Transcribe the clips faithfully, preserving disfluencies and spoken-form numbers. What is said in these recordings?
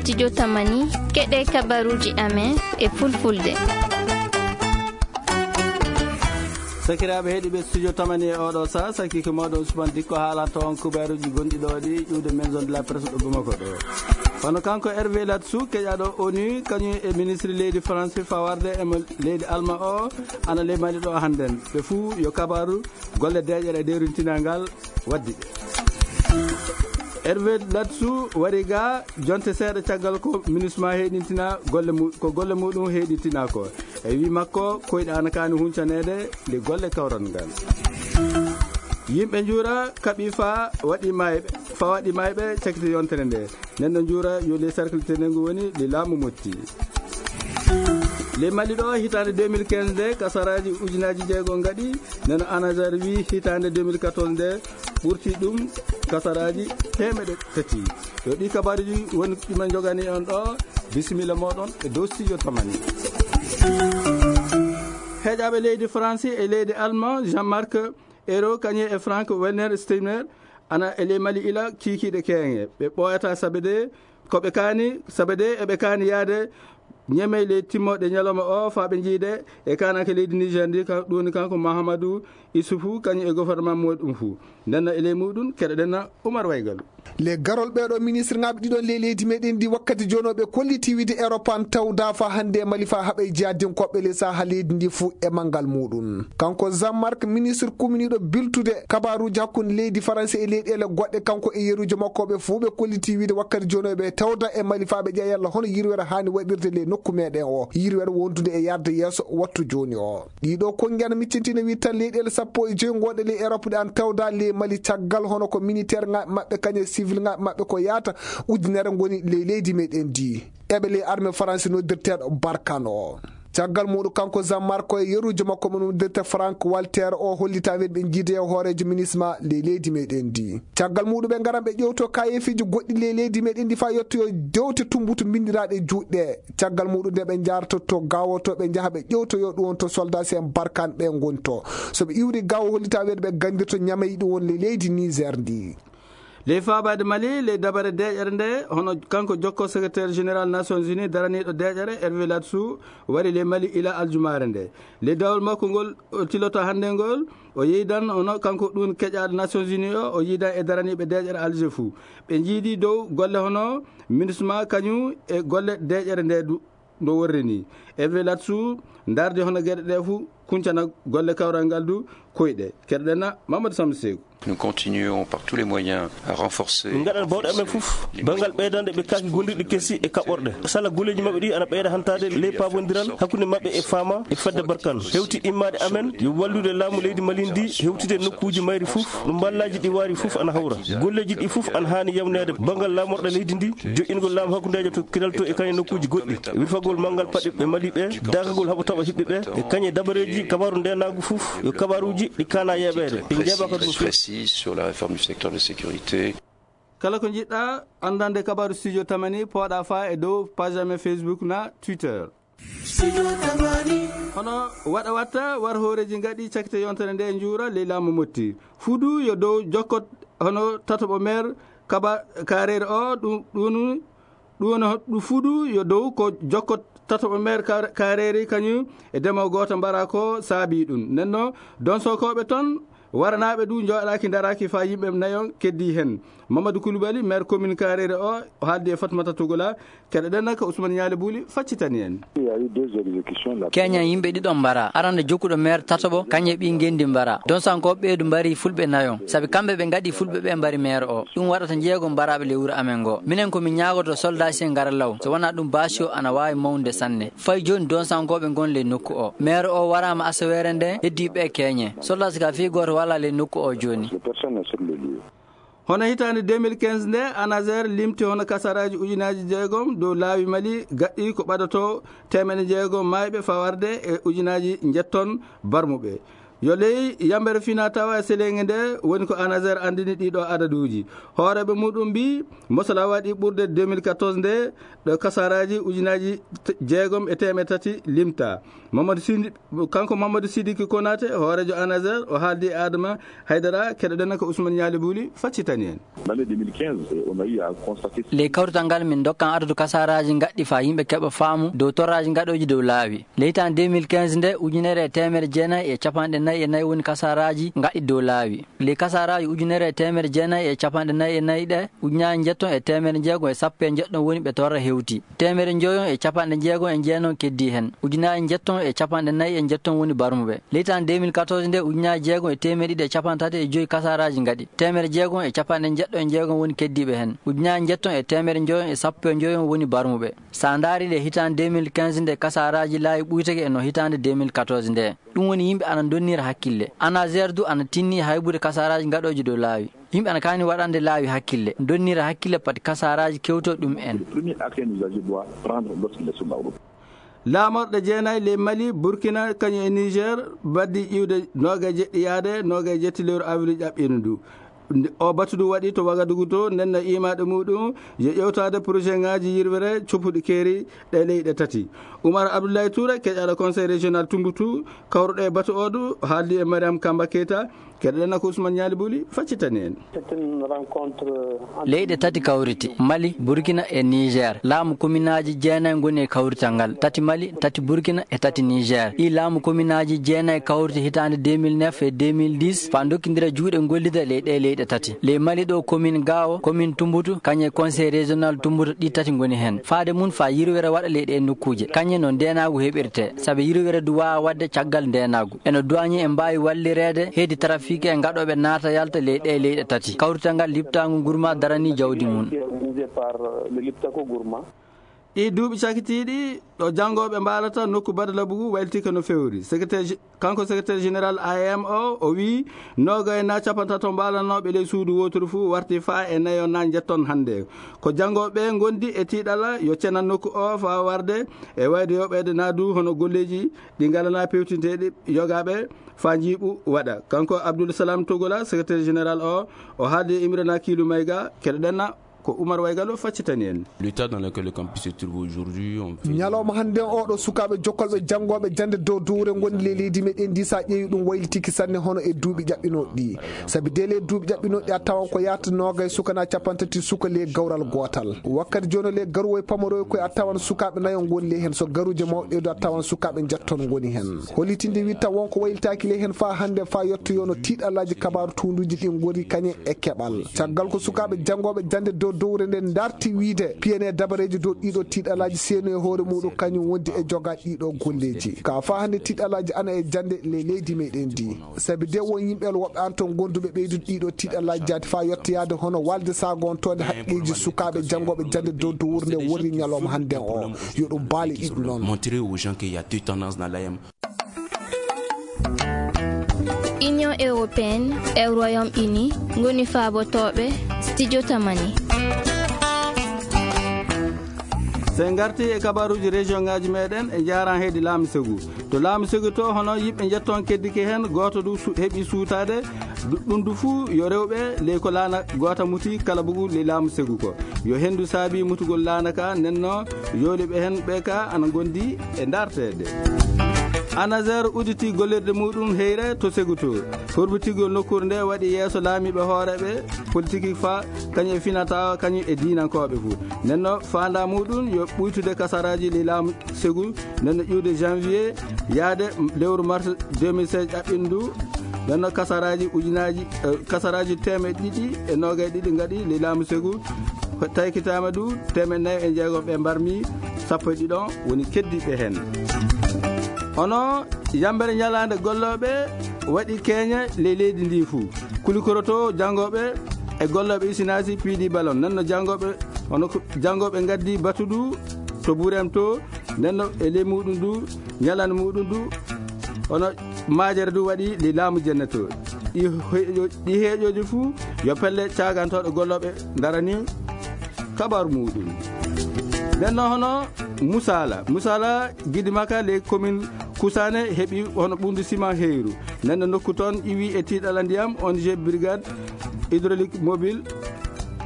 Studio Tamani, keɗe kabaruuji amen e fulfulde. Sakiraaɓe heɗiiɓe Studio Tamani e oɗo saa, sakki ko mawɗo Ousmane Dikko haalata on kubaruuji gonɗi ɗo ɗi iwde Maison de la Presse ɗo Bamako ɗo. Kono kanko Hervé Latsou, keƴaɗo onu, kañum e ministre leydi France fawarde e mo leydi Allemagne o, ana ley Mali ɗo hannden. Ɓe fuu yo kabaru golle deeƴere e dewrintinal ngal waddi ɓe. Hervé Latsou wari ga jonte seeɗa caggal ko MINUSMA heɗintina golle mu-, ko golle muɗum heɗintina ko. E wi makko, koyɗe ana kaani huncaneede nde golle kawral ngal. Yimɓe njuura kaɓi fa waɗi mayɓe, fa waɗi mayɓe cakiti yontere nde. Nden no njuura yo le cercle tenengu woni le laamu motti. Le Mali ɗo hitaande deux mille quinze nde kasaraaji ujunaaji jeego ngaɗi, nden no ANASER wi hitaande deux mille quatorze nde ɓurti ɗum kasaraaji teemeɗe tati. Yo ɗi kabaruuji woni ɗi men njogani on ɗo, bisimilla mooɗon e dow Studio Tamani. Heeƴaaɓe leydi France e leydi Allemagne, Jean-Marc Ayrault kañum e Frank Walner Steinmeier ana e ley Mali ila kiikiiɗe keeŋe. Ɓe ɓooyata sabe de ko ɓe kaani, sabe de eɓe kaani yaade ñeme ley timmooɗe ñalawma o faa ɓe njiide e kaananke leydi Niger ndi, ka-, ɗum woni kanko Mahamadou Issoufou kañum e gouvernement muɗum fuu. Nden no e ley muɗum, keɗoɗen na Oumar Waygal. Le garol ɓeeɗo ministre ŋaaɓe ɗiɗon ley leydi meɗen ndi wakkati jooni o ɓe kolliti wiide Europe an tawda fa hannde e Mali fa haɓa e jihadinkooɓe le saha leydi ndi fuu e manngal muɗum. Kanko Jean-Marc, ministre kuminiiɗo biltude kabaruuji hakkunde leydi Faransi e leyɗeele goɗɗe, kanko e yeruujo makko ɓe fuu ɓe kolliti wiide wakkati jooni o ɓe tawda e Mali fa ɓe ƴeewa yalla hono yirwere haani waɗirde le nokku meɗen o, yirwere wondude e yarde yeeso wattu jooni o. Ɗiɗo konngi ana miccintina wi tan leyɗeele sappo e joy gonɗe ley Europe ɗe an tawda ley Mali caggal hono ko militaire ŋaaɓe maɓɓe kañe civil ŋaaɓe maɓɓe ko yaata ujunere ngoni ley leydi meɗen ndi. Eɓe ley armée Faransi noddirteeɗo Barkhane o. Caggal muɗum kanko Jean-Marc e yeruujo makko mo noddirte Frank Walter o hollita wen ɓe jiide e hooreejo MINUSMA ley leydi meɗen ndi. Caggal muɗum ɓe ngaran ɓe ƴewto kayeefiiji goɗɗi ley leydi meɗen ndi faa yettoyo dewte tumbutu binndiraaɗe juuɗe. Caggal muɗum nde ɓe njaartotto gawoto ɓe njaha ɓe ƴewtoyo ɗum on to soldat si en Barkhane ɓe ngonto. So ɓe iwri gawo hollita wen ɓe ganndirto ñamey ɗum on le leydi Niger ndi. Ley faabaade Mali, ley dabare deeƴere nde, hono kanko jokko secrétaire général Nations Unies daraniiɗo deeƴere Hervé Latsou wari ley Mali ila aljumaare nde. Ley dawol makko ngol o tiloto hannde ngol, o yeydan hono kanko ɗum keƴaaɗo Nations Unies o, o yiidan e daraniiɓe deeƴere Alger fuu. Ɓe njiidi dow golle hono MINUSMA kañum e golle deeƴere nde du-, no worri ni. Hervé Latsou ndardi hono geɗe ɗe fuu kuncana golle kawral ngal du koyɗe. Keɗoɗen na Mamadou Samba Sekou. Nous continuons par tous les moyens à renforcer. Min ngaɗan bawɗe amen fof banngal ɓeydande ɓe kaaki gondirɗi kesi e kaɓorɗe. Sala golleeji maɓɓe ɗi ana ɓeyda hantaade ley paabondiral hakkunde maɓɓe e Fama e fedde Barkhane. Hewti immaade amen yo wallude laamu leydi Mali ndi hewtide nokkuuji mayri fof. Ɗum mballaaji ɗi waari fof ana hawra. Golleeji ɗi fof ana haani yawneede banngal laamorɗe leydi ndi, joƴƴingol laamu hakkundeejo to Kidal to e kañe nokkuuji goɗɗi. Wirfagol manngal paɗɗe ɓe Mali ɓe, daakagol haɓa taɓa hiɓɓe ɓe, e kañe dabareeji kabaaru ndeenaagu fof, yo kabaaruuji ɗi kaana yeeɓeede, ɗi njeeɓaaka ɗum fof. Précise sur la réforme du secteur de sécurité. Kala ko njiɗɗa anndande kabaaru Studio Tamani, pooɗa faa e dow page amen Facebook na Twitter. Hono waɗa watta war hooreeji ngaɗi cakite yontere nde njuura ley laamu motti. Fudu yo dow jokkot hono tataɓo meer kaba kaareere o, ɗum, ɗum, ɗum, ɗum fudu yo dow ko jokkot tataɓo meer ka-, kaareere kañum e demo gooto mbara ko saabi ɗum. Nenno donsokooɓe ton waranaaɓe du njooɗaaki ndaraaki faa yimɓe nayon keddii heen. Mamadou Coulibaly, maire commune Karere o, o haaldi e Fatmata Togola. Keɗoɗen naka Ousmane Ñaali Buuli faccitani en. Il y a eu deux exécutions. Keña yimɓe ɗiɗon mbara. Arande jokkuɗo maire tataɓo, kañum e ɓii ngenndi mbara. Donsankooɓe ɓeedu mbari fulɓe nayon. Sabi kamɓe ɓe ngaɗi fulɓe ɓe mbari maire o. Ɗum waɗata jeego mbaraaɓe ley wuro amen ngo. Minen ko min ñaagoto soldat si en ngara law. So wonaa ɗum baasi o ana waawi mawnude sanne. Fay jooni donsankooɓe ngon ley nokku o. Maire o waraama asaweere nde, heddii ɓe keñe. Soldat si ka fii gooto walaa ley nokku o jooni. Personne n'est sur le lieu. Hono hitaande deux mille quinze nde, ANASER limti hono kasaraaji ujunaaji jeegom dow laawi Mali gaɗɗi ko ɓadato teemeɗe jeegom maayɓe fawarde e ujunaaji njetton barmuɓe. Yo ley yambere fina tawa e seleŋe nde woni ko ANASER andini ɗiɗo adaduuji. Hooreɓe muɗum mbi mosala waɗi ɓurde deux mille quatorze nde ɗo kasaraji ujunaji t-, jeegom e teemeɗe tati limta. Mamadou Sidi, kanko Mamadou Sidiki Konate, hoorejo ANASER, o haaldi e Adama Haydara, keɗoɗen ko Ousmane Ñaali Buli, faccitani en. L'année deux mille quinze, on a eu à constater. Ley kawrital ngal min dokkan adadu kasaraji gaɗɗi fa yimɓe keɓa faamu dow torraji gaɗoji dow laawi. Ley tan deux mille quinze nde, ujunere e teemere jeenayi e capanɗe nayi e nayi woni kasaraji gaɗɗi dow laawi. Ley kasaraji ujunere e teemere jeenayi e capanɗe nayi e nayi ɗe, ujunaji njetton e teemere jeegom e sappo e njeɗɗon woni ɓe torra hewti. Teemere njoyon e capanɗe jeegom e jeenon keddi hen. Ujunaji njetton e capanɗe nayi e njetton woni barmuɓe. Ley tan deux mille quatorze nde, ujunaji jeegom e teemere ɗiɗi e capanɗe tati e joyi kasaraji gaɗi. Teemere jeegom e capanɗe jeɗɗo e jeegom woni keddiɓe hen. Ujunaji njetton e teemere njoyon e sappo e njoyon woni barmuɓe. Sa ndaari ɗe hitande deux mille quinze nde, kasaraji laawi ɓuytake e no hitande deux mille quatorze nde. Ɗum woni yimɓe ana donnira hakkille. ANASER du ana tinni haybude kasaraji gaɗoji dow laawi. Yimɓe ana kaani waɗande laawi hakkille, donnira hakkille pati kasaraji kewto ɗum en. Le premier acte un usager doit prendre lorsqu'il est sur la route. Laamorɗe jeenayi ley Mali, Burkina, kañum e Niger, baddi iwde noga e jeɗɗi yaade noga e jetti lewru avril ƴaɓɓiino ndu. Nde o batu ndu waɗi to Wagadugu to, nden no imaɗo muɗum yo ƴewtade projet ngaji yirwere coppuɗi keeri ɗe leyɗe tati. Oumar Abdoulaye Touré, keƴaɗo conseil régional Tumboutou, kawruɗo e batu o du, haaldi e Mariam Kamba Keita, keɗoɗen ko Ousmane Ñaali Buli, faccitani en. C'est une rencontre entre leyɗe tati kawriti, Mali, Burkina e Niger. Laamu kominaaji jeenayi ngoni e kawrital ngal. Tati Mali, tati Burkina e tati Niger. Ɗi laamu kominaaji jeenayi kawriti hitande deux mille neuf e deux mille dix, fa dokkindira juuɗe gollida ley ɗe leyɗe tati. Ley Mali ɗo, commune Gao, commune Tumboutou, kañum e conseil régional Tumboutou, ɗi tati ngoni hen. Faade mum fa yirwere waɗa ley ɗe nokkuuje. Kañum no ndeenaagu heɓirte, sabi yirwere du waawa waɗde caggal ndeenaagu. Eno douanier en mbaawi wallireede heedi trafic e gaɗooɓe naata yalta ley ɗe leyɗe tati. Kawrital ngal Liptaangu Gourma darani jawdi mum. Organisé par, euh, le Liptako Gourma. Ɗi duuɓi cakitiiɗi ɗo janngooɓe mbaalata nokku Badalabugu waylitike no fewri. Secrétaire gé-, kanko secrétaire général A M O, o wii noogay na capantato mbaalanooɓe ley suudu wooturu fuu warti faa e nayo na njetton hannde. Ko janngooɓe ngondi e tiiɗala yo cena nokku o faa warde e wayde yoɓeede na du hono golleeji ɗi ngalana pewtinteeɗi yogaaɓe faa njiiɓu waɗa. Kanko Abdoul Salam Togola, secrétaire général o, o haaldi e Imrana Kiilu Mayga, keɗoɗen na ko Oumar Waygalo faccitani en. L'état dans lequel le campus se trouve aujourd'hui, on fait ñalawma hannde o ɗo sukaaɓe jokkolɓe janngooɓe jannde dow dowre ngoni ley leydi meɗen ndi, sa ƴeewi ɗum waylitiki sanne hono e duuɓi ƴaɓɓinooɗi ɗi. Sabi de ley duuɓi ƴaɓɓinooɗi a tawan ko yahata noogay suka na capantati suka ley gawral gootal. Wakkati jooni ley garuwoy pamaroy koy a tawan sukaaɓe nayo ngoni ley hen, so garuuje mawɗe du a tawan sukaaɓe njetton ngoni hen. Hollitinde witta wonko waylitaaki ley hen faa hannde faa yettoyono tiiɗalaaji kabaaru tuunduuji ɗi ngoni kañum e keɓal. Caggal ko sukaaɓe janngooɓe jannde dow dowre nden darti wiide piyane dabareeji dow ɗiɗo tiiɗalaaji seenu e hoore muɗum kañum wondi e jogaa ɗiɗo golleeji. Ka faa hannde tiiɗalaaji ana e jannde ley leydi meɗen ndi. Sabi de won yimɓe woɓɓe an ton gonduɓe ɓeydude ɗiɗo tiiɗalaaji jaati faa yettoyaade hono walde saagontoonde haqqeeji sukaaɓe janngooɓe jannde dow dowre nde worri ñalawma hannde o. Yo ɗum baale ɗiɗo noon. Montrer aux gens qu'il y a deux tendances dans l'A M. Union européenne e Royaume-Uni ngoni faabotooɓe Studio Tamani. So en ngarti e kabaaruuji région ngaaji meɗen, e jaran heedi laamu segu. To laamu segu to, hono yimɓe njetton keddike heen, gooto du su-, heɓi suutaade, du-, ɗum du fuu yo rewɓe ley ko laana goota muti kala bugu ley laamu segu ko. Yo henndu saabi mutugol laana ka, nenno yooliɓe heen ɓe ka ana ngondi e darteede. ANASER udditi gollirde muɗum heyre to segu to. Hurbitigol nokkuure nde waɗi yeeso laamiiɓe hooreeɓe politique fa kañum e finata kañum e diinankooɓe fuu. Nenno faanda muɗum yo ɓuytude kasaraaji ley laamu segu, nenno iwde janvier yaade lewru mars deux mille seize ƴaɓɓindu. Nenno kasaraaji ujunaaji, eh, kasaraaji teemeɗɗe ɗiɗi e noogay ɗiɗi ngaɗi ley laamu segu. Taykitaama du teemeɗɗe nayi e jeegom ɓe mbarmi, sappo e ɗiɗon woni keddiiɓe heen. Hono yambere ñalaande gollooɓe waɗi keeña ley leydi ndi fuu. Kulikoroto janngooɓe e gollooɓe isinaasi piidi balon. Nenno janngooɓe, hono ko janngooɓe ngaddi batudu to Burem to, nenno e ley muɗum du, ñalaande muɗum du, hono maajere du waɗi ley laamu jenne to. Ɗi heeƴo-, ɗi heeƴooji fuu yo pelle caagantooɗo gollooɓe ndarani kabaru muɗum. Nenno hono Musala. Musala gidi maka ley commune Kusaane heɓi hono ɓunndu sima heyru. Nden nokku toon iwi e tiiɗalla ndiyam, O N G Brigade Hydraulique Mobile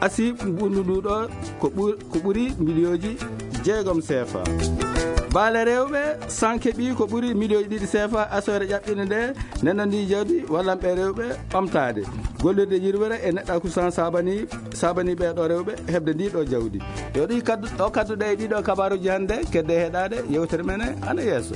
asi ɓunndu ndu ɗo ko ɓur-, ko ɓuri miliyooji jeegom seefa. Baale rewɓe san keɓi ko ɓuri miliyooji ɗiɗi seefa asoore ƴaɓɓinde nde, nden ndi jawdi wallanɓe rewɓe ɓamtaade. Gollirde yirwere e neɗɗaaku san sabani, sabani ɓee ɗo rewɓe heɓde ndi ɗo jawdi. Yo ɗi kaddu, o kadduɗe e ɗiɗo kabaaruji hannde, kedde heɗaade yewtere men ana yeeso.